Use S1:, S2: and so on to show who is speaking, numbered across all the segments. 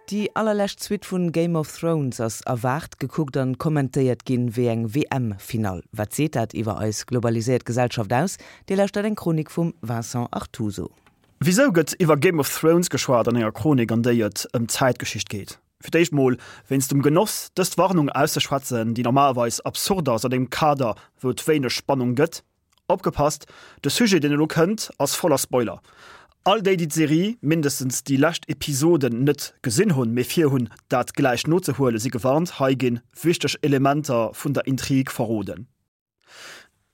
S1: Déi allerlescht Suite vun Game of Thrones ass erwaart, gekuckt an kommentéiert ginn wéi eng WM-Finall. Wat seet dat iwwer eis globaliséiert Gesellschaft aus? Dir lauschtert eng Chronik vum Vincent Artuso.
S2: Wisou gëtt iwwer Game of Thrones geschwat an enger Chronik an déi et ëm d'Zäitgeschicht geet? Fir d'éischt mol wéinst dem Genoss dëst Warnung auszeschwätzen, déi normalerweis absurd ass an engem Kader wou et wéineg Spannung gëtt. Opgepasst, de Sujet deen elo kënnt ass voller Spoiler. All déi déi d'Serie, mindestens déi lescht Episoden, net gesinn hunn, mee vir hunn dat gläich nozehuelen, si gewarnt, hei ginn wichteg Elementer vun der Intrig verroden.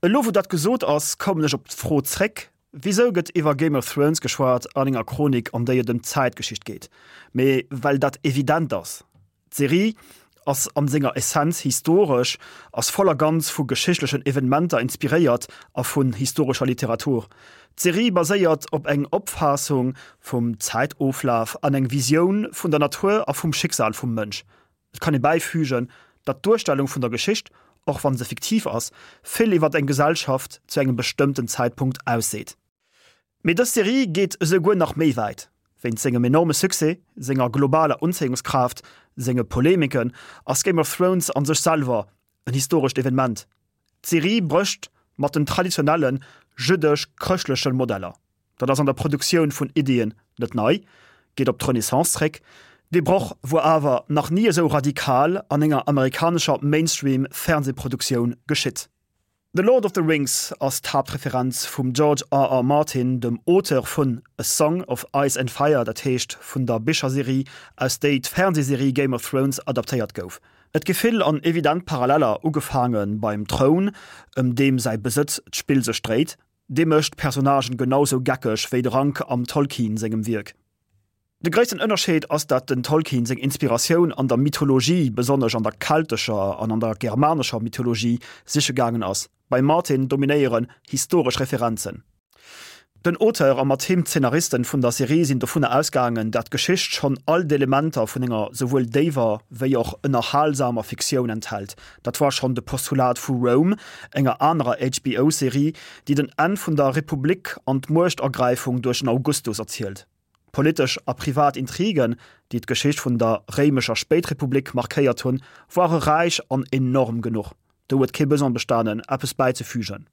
S2: Elo wou dat gesot ass, kommen ech op d'Fro zréck, Wisou gëtt iwwer Game of Thrones geschwat an enger Chronik an déi et ëm d'Zäitgeschicht geet? Mee well dat evident ass. D'Serie ass an senger Essenz historesch, ass voll a ganz vu geschichtlechen Evenementer inspiréiert a vun historescher Literatur. D'Serie baséiert op eng Opfaassung vum Zäitoflaf an eng Visioun vun der Natur a vum Schicksal vum Mënsch. Et kann ee bäifügen, datt d'Duerstellung vun der Geschicht, och wann se fiktiv ass, vill iwwer eng Gesellschaft zu engem bestëmmten Zäitpunkt ausseet. Mee dës Serie geet esou guer nach méi wäit. Wéinst sengem enorme Succès, senger globaler Unzéiungskraaft, senge Polemiken ass Game of Thrones an sech selwer en historescht Evenement. D'Serie brécht mat den traditionelle jüddesch-chrëschtleche Modeller. Dat ass an der Produktioun vun Iddien net nei, geet op d'Renaissance zréck. Dee Broch wuar awer nach ni esou radikal an enger amerikanescher Mainstream-Fernsehproduktioun geschitt. The Lord of the Rings ass d'Haaptreferenz vum George R. R. Martin, dem Auteur vun A Song of Ice and Fire, dat heescht vun der Bicherserie, aus déi d'Fernseeserie Game of Thrones adaptéiert gouf. Et gi vill an evident Paralleller, ugefaange beim Troun, ëm deem säi Besëtz d'Spill sech dréit. Dee mécht d'Personnagen genau sou geckeg wéi de Rank am Tolkien sengem Wierk. De gréissten Ënnerscheed ass dat den Tolkien seng Inspiratioun an der Mythologie, besonnesch an der keltescher an an der germanescher Mythologie, siche gaangen ass. Beim Martin dominéieren historesch Referenzen. Den Auteur a mat him d'Szenaristen vun der Serie sinn dovunner ausgaangen, dat d'Geschicht schonn all d'Elementer vun enger souwuel déiwer wéi och ënnerhalsamer Fiktioun enthält. Dat war schonn de Postulat vu Rome, enger anerer HBO-Serie, déi den Enn vun der Republik an d'Muechtergräifung duerch den Augustus erzielt. Politesch a privat Intrigen, déi d'Geschicht vun der réimescher Spéitrepublik markéiert hunn, ware räich an enorm genuch. Do huet kee Besoin bestanen, eppes bäizefügen.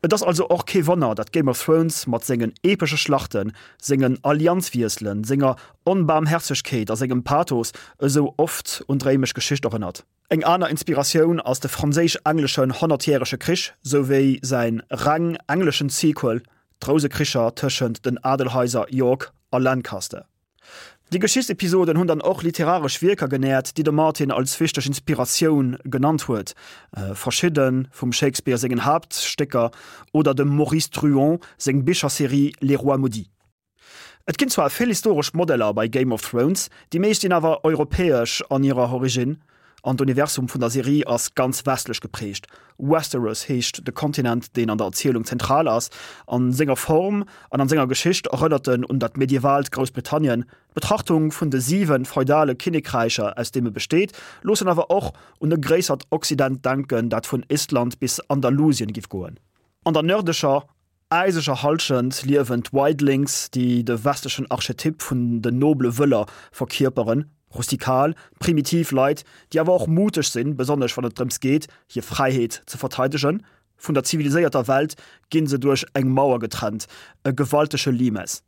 S2: Et ass also och kee Wonner, datt Game of Thrones mat sengen epesche Schlachten, sengen Allianzwiesselen, senger Onbaarmhäerzegkeet a sengem Pathos esou oft un d'réimesch Geschicht erënnert. Eng aner Inspiratioun ass de franséisch-engleschen Honnertjärege Krich souwéi säin reng engleschen Sequel, d'Rousekricher tëschent den Adelhaiser York a Lancaster. Déi Geschichtsepisoden hunn dann och literaresch Wierker genäert, déi de Martin als wichteg Inspiratioun genannt huet, verschidde vum Shakespeare sengen Haaptstécker oder dem Maurice Druon seng Bicherserie Les Rois maudits. Et ginn zwar vill historesch Modeller bei Game of Thrones, déi meescht sinn awer europäesch an hirer Originn, an d'Universum vun der Serie ass ganz westlech geprägt. Westeros heescht de Kontinent, deen an der Erzielung zentral ass. An senger Form an an senger Geschicht erënnert en un dat medievaalt Groussbritannien. D'Betrachtung vun de 7 feudale Kinnekräicher, aus deem e besteet, loossen awer och un e gréissert Occident denken, dat vun Istland bis Andalusien giff goen. An der nërdlecher äiseger Hallschent liewen d'Wildlings, déi de westlechen Archetyp vun den nobele Wëller verkierperen, rustikal, primitiv Leit, déi awer och muteg sinn, besonnesch wann et drëms geet, hir Fräiheet ze verteidegen. Vun der ziviliséierter Welt ginn se duerch eng Mauer getrennt, e gewaltege Limes.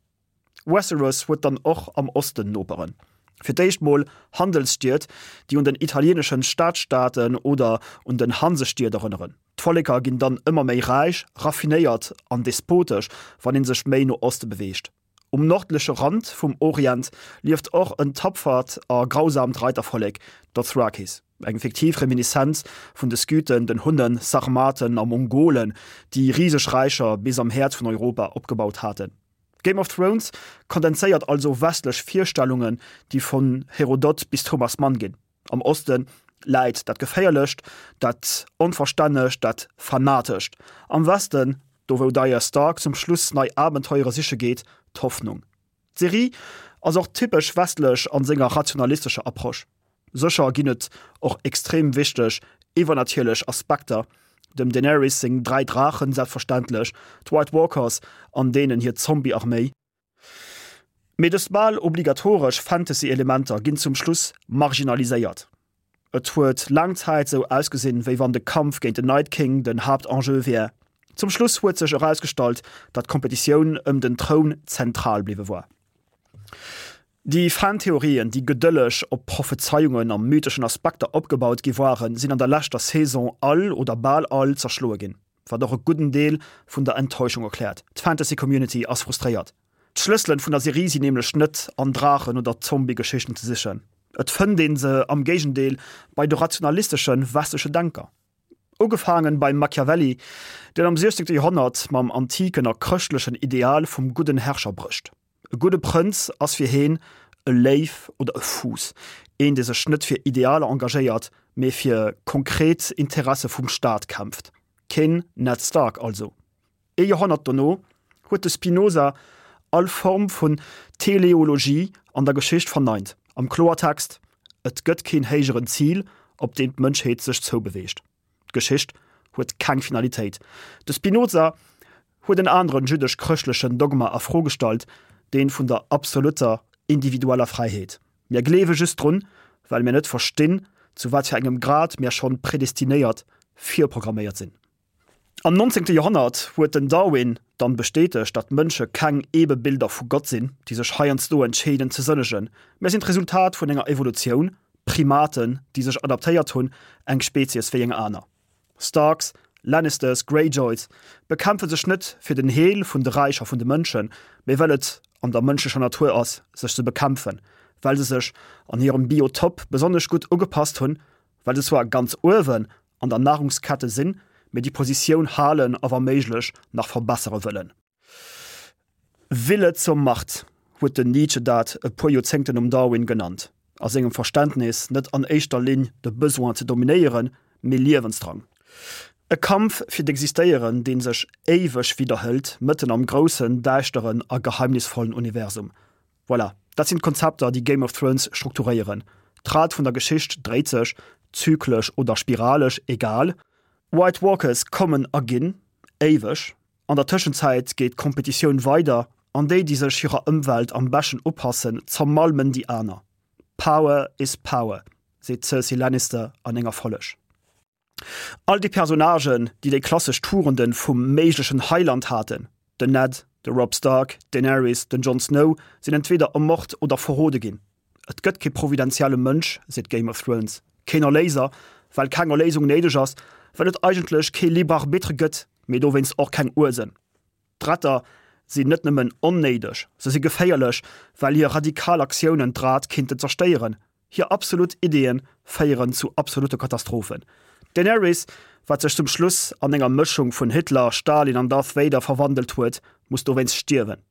S2: Westeros huet dann och am Osten Noperen. Fir d'éischt mol Handelsstied, déi un den italieeneschen Stadstaaten oder un den Hansestied erënneren. D'Volleker ginn dann ëmmer méi räich, raffinéiert an despotesch, wann ee sech méi no Oste beweegt. Um nordleche Rand vum Orient lieft och en tapfert a grausamt Reitervollek, d'Dothrakis, eng fiktiv Reminiszenz vun de Skythen, den Hunnen, Sarmaten a Mongolen, déi riseg Räicher bis am Häerz vun Europa opgebaut haten. Game of Thrones kondenséiert also westlech Virstellungen, déi vun Herodot bis Thomas Mann ginn. Am Oste läit dat Geféierlecht, dat Onverstännegt, dat Fanatescht. Am Westen, do wou d'Arya Stark zum Schluss nei Abenteuere siche geet, d'Hoffnung. D'Serie ass och typesch westlech an senger rationalistescher Approche. Sécher ginn et och extrem wichteg iwwernatierlech Aspekter, dem Daenerys seng 3 Draachen selbstverständlech, d'White Walkers an deenen hir Zombie-Arméi. Mee dës bal obligatoresch Fantasy-Elementer ginn zum Schluss marginaliséiert. Et huet laang Zäit sou ausgesinn, wéi wann de Kampf géint den Night King den Haaptenjeu wär. Zum Schluss huet sech erausgestallt, datt d'Kompetitioun ëm den Troun zentral bliwwe war. Déi Fan-Theorien, déi gedëlleg op Prophezeiungen a mytheschen Aspekter opgebaut gi waren, sinn an der leschter Saison all oder bal all zerschloe ginn, wat och e gudden Deel vun der Enttäuschung erkläert. D'Fantasy-Community ass frustréiert. D'Schlësselen vun der Serie sinn nämlech net an Draachen oder Zombie-Geschichten ze sichen. Et fënnt een se am Géigendeel bei de rationalisteschen westleche Denker. Ugefaangen beim Machiavelli, deen am 16. Joerhonnert mam antiken a chrëschtlechen Ideal vum gudden Herrscher brécht. E gudde Prënz ass fir heen e Léif oder e Fuuss, een dee sech net fir Idealer engagéiert, mee fir konkret Interesse vum Staat kämpft. Keen Ned Stark also. Ee Joerhonnert dono huet de Spinoza all Form vun Teleologie an der Geschicht verneint. Am Kloertext, Et gëtt keen héijeren Zil, op deem d'Mënschheet sech zoubeweegt. D'Geschicht huet keng Finalitéit. De Spinoza huet en aneren jüddesch-chrëschtlechen Dogma a Fro gestallt, deen vun der absolutter individueller Fräiheet. Mir gleewe just drun, well mir net verstinn, zu wat fir engem Grad mir schonn predestinéiert, virprogramméiert sinn. Am 19. Joerhonnert huet den Darwin dann bestätegt, datt Mënsche keng Ebebilder vu Gott sinn, déi sech heiansdo entscheeden ze sënnegen. Mir sinn d'Resultat vun enger Evolutioun, Primaten, déi sech adaptéiert hunn, eng Spezies wéi eng aner. Starks, Lannisters, Greyjoys bekämpfe sech net fir den Heel vun de Räicher vun de Mënschen, mee well et an der mënschlecher Natur ass, sech ze bekämpfen, well se sech an hirem Biotop besonnesch gutt ugepasst hunn, well se zwar ganz uewen an der Nahrungskette sinn, mee déi Positioun halen a wa méiglech nach verbessere wëllen. Wille zur Macht huet den Nietzsche dat e puer Joerzéngten nom Darwin genannt, a sengem Verständnis net an éischter Linn de Besoin ze dominéieren, mee Liewensdrang. E Kampf fir d'Existéieren, dee sech éiweg widderhëlt, mëtten am groussen, däischteren a geheimnisvollen Universum. Voilà, dat sinn d'Konzepter, déi Game of Thrones strukturéieren. D'Rad vun der Geschicht dréit sech, zyklesch oder spiralesch, egal. White Walkers kommen a ginn, éiweg. An der Tëschenzäit geet d'Kompetitioun weider, an déi, déi sech hirer Ëmwelt am beschten upassen, zermalmen déi aner. Power is power, seet d'Cersei Lannister an enger Folleg. All déi Personnagen, déi déi klassesch Tugenden vum méiglechen Heiland haten, den Ned, de Robb Stark, d'Daenerys, den Jon Snow, sinn entweeder ermort oder verrode ginn. Et gëtt kee providentielle Mënsch, seet Game of Thrones, keen Erléiser, well keng Erléisung néideg ass, well et eigentlech kee Libre Arbitre gëtt, mee dowéinst och keng Ursen. D'Retter sinn net nëmmen onnéideg, se si geféierlech, well hir radikal Aktiounen d'Rad kinnten zerstéieren. Hir absolut Ideeë féieren zu absolutte Katastrophen. D'Daenerys, wat sech zum Schluss an enger Mëschung vun Hitler, Stalin an Darth Vader verwandelt huet, muss dowéinst stierwen.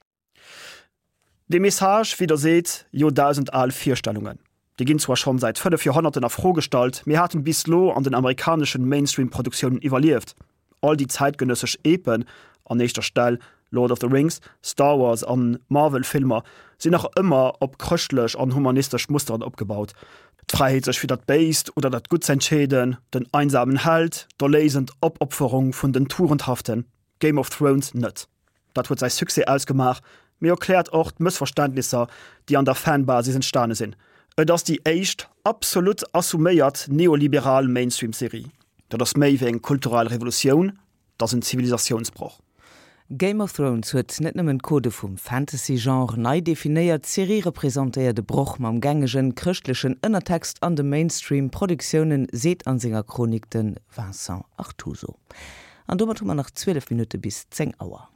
S2: Dee Message widderseet joerdausendal Virstellungen. Déi ginn zwar schonn säit 5 Joerhonnerten a Fro gestallt, mee haten bis lo an den amerikaneschen Mainstream-Produktiounen iwwerlieft. All déi zäitgenëssesch Epen, an éischter Stell Lord of the Rings, Star Wars an Marvel-Filmer, sinn nach ëmmer op chrëschtlech an humanistesch Musteren opgebaut, d'Fräiheet sech fir dat Béist oder dat Gutt z'entscheeden, den einsamen Held, d'erléisend Opopferung vun den Tugendhaften. Game of Thrones net. Dat huet säi Succès ausgemaach, mee erkläert och d'Mëssverständnisser, déi an der Fanbasis entstane sinn. Et ass déi éischt absolut assuméiert neoliberal Mainstream-Serie. Dat ass méi wéi eng kulturell Revolutioun, dat ass en Zivilisatiounsbroch.
S1: Game of Thrones huet net nëmmen d'Codë vum Fantasy-Genre nei definéiert, d'Serie representéiert e Broch mam gängegen chrëschtlechen Ënnertext an de Mainstream-Produktiounen, seet an senger Chronik de Vincent Artuso. An domat hu mer nach 12 Minutte bis 10 Auer.